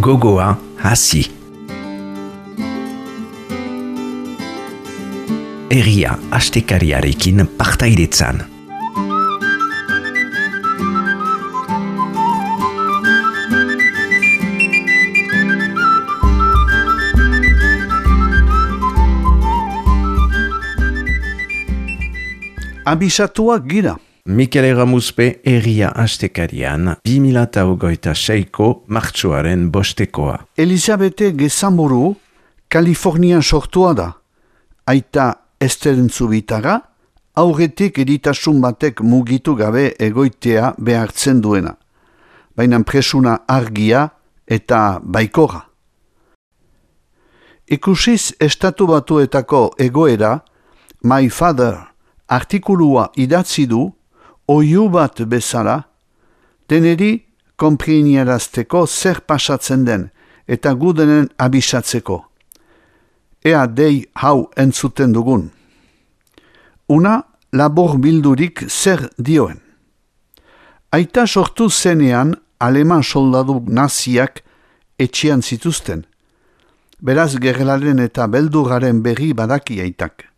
gogoa hasi. Herria astekariarekin partaidetzan. Abisatuak gira. Mikel Erramuzpe Herria astekarian 2026ko martxoaren bostekoa. Elizabete Gezamburu, Kalifornian sortua da. Aita Esterentzubitarra, aurretik editasun batek mugitu gabe egoitea behartzen duena. Baina presuna argia eta baikorra. Ikusiz Estatu Batuetako egoera, My Father artikulua idatzi du, oihu bat bezala, deneri konpriniarazteko zer pasatzen den eta gudenen abisatzeko. Ea dei hau entzuten dugun. Una labor bildurik zer dioen. Aita sortu zenean aleman soldadu naziak etxean zituzten. Beraz gerlaren eta beldurraren berri badaki aitak.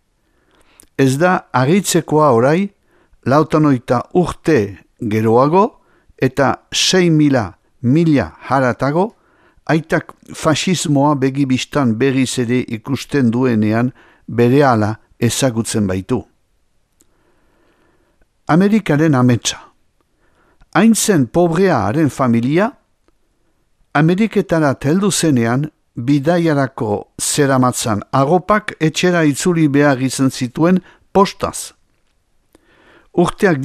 Ez da aritzekoa orai, 58 urte geroago eta 6.000 haratago, aitak fasismoa begibistan berriz ere ikusten duenean berehala ezagutzen baitu. Amerikaren ametsa. Hain zen pobrea haren familia, Ameriketara heldu zenean bidaiarako zeramatzan agopak etxera itzuli behar izan zituen postaz. Urteak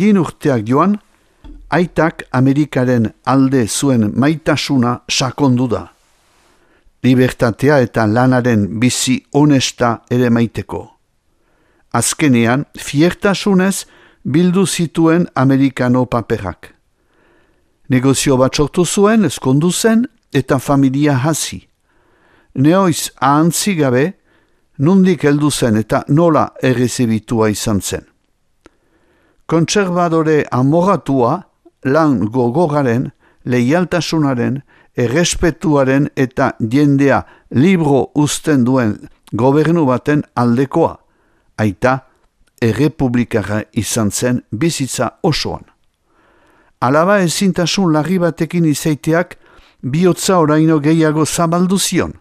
joan, aitak Amerikaren alde zuen maitasuna sakondu da. Libertatea eta lanaren bizi honesta ere maiteko. Azkenean, fiertasunez bildu zituen Amerikano paperak. Negozio bat sortu zuen, ezkondu zen eta familia hasi. Neoiz ahantzi gabe, nondik heldu zen eta nola errezibitua izan zen. Kontserbadore amoratua, lan gogoraren, leialtasunaren, errespetuaren eta jendea libro uzten duen gobernu baten aldekoa, aita errepublikara izan zen bizitza osoan. Alaba ezintasun larri batekin izaiteak bihotza oraino gehiago zabaldu zion.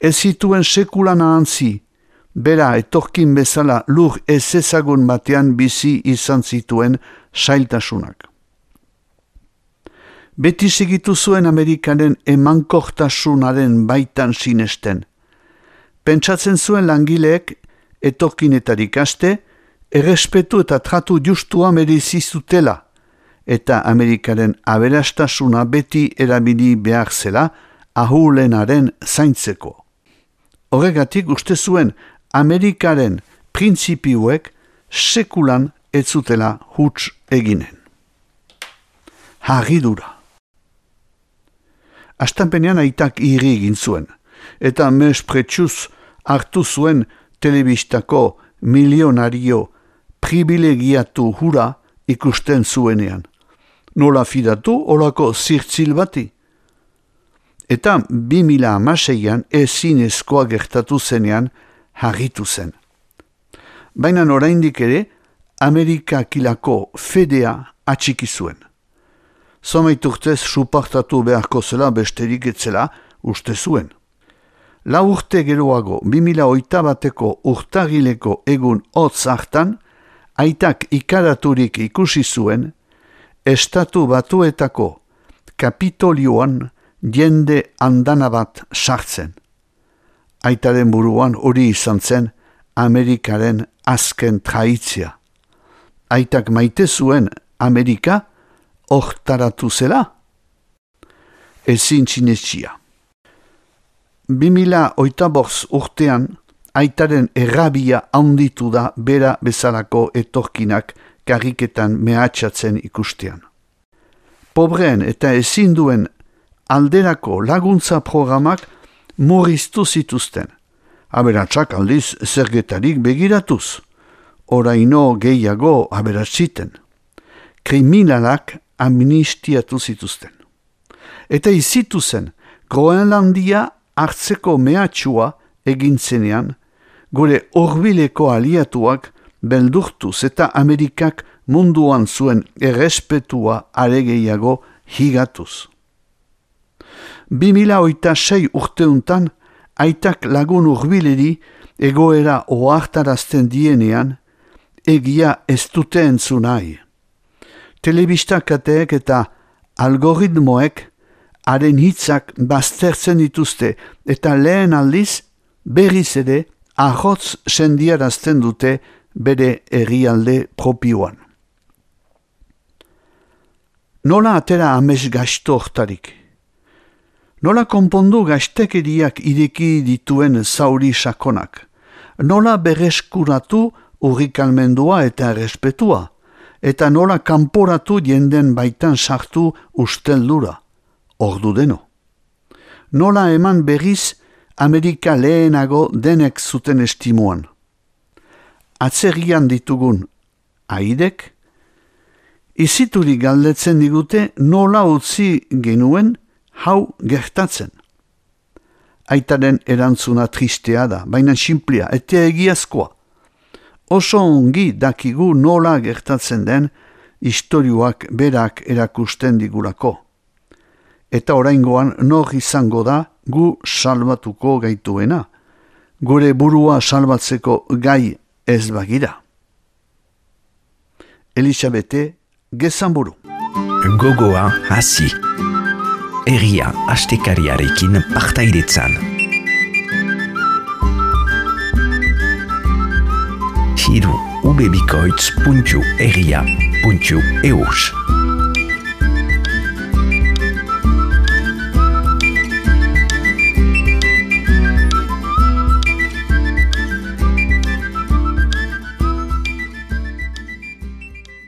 Ez zituen sekulan ahantzi, bera etorkin bezala lur ez ezagun batean bizi izan zituen sailtasunak. Beti segitu zuen Amerikanen emankortasunaren baitan sinesten. Pentsatzen zuen langileek etorkinetarik aste, errespetu eta tratu justua merezi zutela, eta Amerikaren aberastasuna beti erabili behar zela ahulenaren zaintzeko. Horregatik uste zuen Amerikaren printzipioek sekulan ez zutela huts eginen. Harridura. Astanpenean aitak irri egin zuen, eta mespretsuz hartu zuen telebistako milionario privilegiatu hura ikusten zuenean. Nola fidatu olako zirtzil bati. Eta 2006an ezinezkoa gertatu zenean harritu zen. Baina oraindik ere, Amerikakilako fedea atxiki zuen. Somaiturtez supartatu beharko zela besterik etzela uste zuen. 4 urte geroago 2008ko urtagileko egun hotz hartan, aitak ikaraturik ikusi zuen, Estatu Batuetako Kapitolioan jende andana bat sartzen. Aitaren buruan hori izan zen Amerikaren azken traitzia. Aitak maite zuen Amerika hortaratu zela? Ezin txinetxia. 2008 urtean aitaren errabia handitu da bera bezalako etorkinak karriketan mehatxatzen ikustean. Pobreen eta ezin duen alderako laguntza programak murriztu zituzten. Aberatsak aldiz zergetarik begiratuz. Oraino gehiago aberatziten. Kriminalak amnistiatu zituzten. Eta izitu zen Groenlandia hartzeko mehatxua egin zenean, gure hurbileko aliatuak beldurtuz eta Amerikak munduan zuen errespetua aregeiago higatuz. 2006 urteuntan, aitak lagun hurbileri egoera ohartarazten dienean, egia ez dute entzun nahi. Telebistakateek eta algoritmoek haren hitzak baztertzen dituzte eta lehen aldiz berriz ere ahotz sendiarazten dute bere herrialde propioan. Nola atera ames gaizto hortarik? Nola konpondu gaiztekeriak ireki dituen zauri sakonak? Nola berreskuratu urrikalmendua eta errespetua? Eta nola kanporatu jenden baitan sartu usteldura? Ordu deno. Nola eman berriz Amerika lehenago denek zuten estimuan? Atzerrian ditugun aidek, izituri galdetzen digute nola utzi genuen hau gertatzen. Aitaren erantzuna tristea da, baina sinplea eta egiazkoa. Oso ongi dakigu nola gertatzen den istorioak berak erakusten digulako. Eta oraingoan nor izango da gu salbatuko gaituena, gure burua salbatzeko gai ez bagira. Elisabete Gezanburu. Gogoa hasi. Herria astekariarekin partaidetzan. Hiru ubebikoitz.herria.eus